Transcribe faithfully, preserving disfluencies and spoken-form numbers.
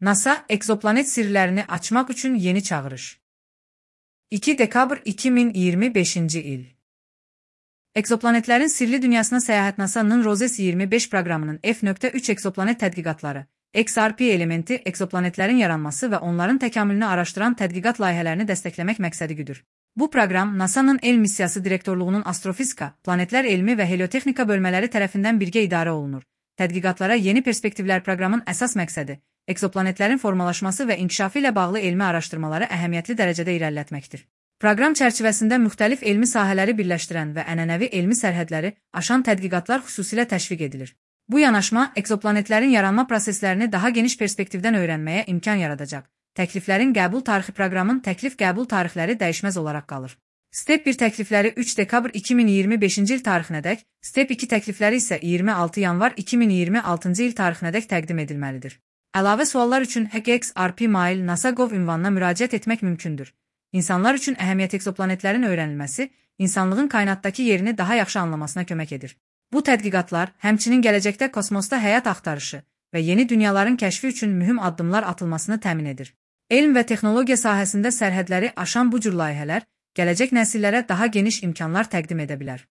NASA, egzoplanet sirlərini açmaq üçün yeni çağırış. iki dekabr iki min iyirmi beşinci il. Egzoplanetlərin sirli dünyasına səyahət NASA'nın ROSES iyirmi beş proqramının F üç egzoplanet tədqiqatları, X R P elementi egzoplanetlərin yaranması və onların təkamülünü araşdıran tədqiqat layihələrini dəstəkləmək məqsədi güdür. Bu proqram NASA'nın El Missiyası Direktorluğunun Astrofizika, Planetlər Elmi və Heliotexnika bölmələri tərəfindən birgə idarə olunur. Tədqiqatlara yeni perspektivlər proqramın əsas məqsədi, egzoplanetlərin formalaşması və inkişafı ilə bağlı elmi araşdırmaları əhəmiyyətli dərəcədə irəlilətməkdir. Proqram çərçivəsində müxtəlif elmi sahələri birləşdirən və ənənəvi elmi sərhədləri aşan tədqiqatlar xüsusilə təşviq edilir. Bu yanaşma, egzoplanetlərin yaranma proseslərini daha geniş perspektivdən öyrənməyə imkan yaradacaq. Təkliflərin qəbul tarixi proqramın təklif qəbul tarixləri dəyişməz olaraq qalır. Step bir təklifləri üç dekabr iki min iyirmi beşinci il tarixinədək, Step iki təklifləri isə iyirmi altı yanvar iki min iyirmi altıncı il tarixinədək təqdim edilməlidir. Əlavə suallar üçün H G X R P mail nasa nöqtə gov ünvanına müraciət etmək mümkündür. İnsanlar üçün əhəmiyyət egzoplanetlərin öyrənilməsi, insanlığın kainatdakı yerini daha yaxşı anlamasına kömək edir. Bu tədqiqatlar, həmçinin gələcəkdə kosmosda həyat axtarışı və yeni dünyaların kəşfi üçün mühüm addımlar atılmasını təmin edir. Elm və texnologiya sahəsində sərhədləri aşan bu cür layihələr, gələcək nəsillərə daha geniş imkanlar təqdim edə bilər.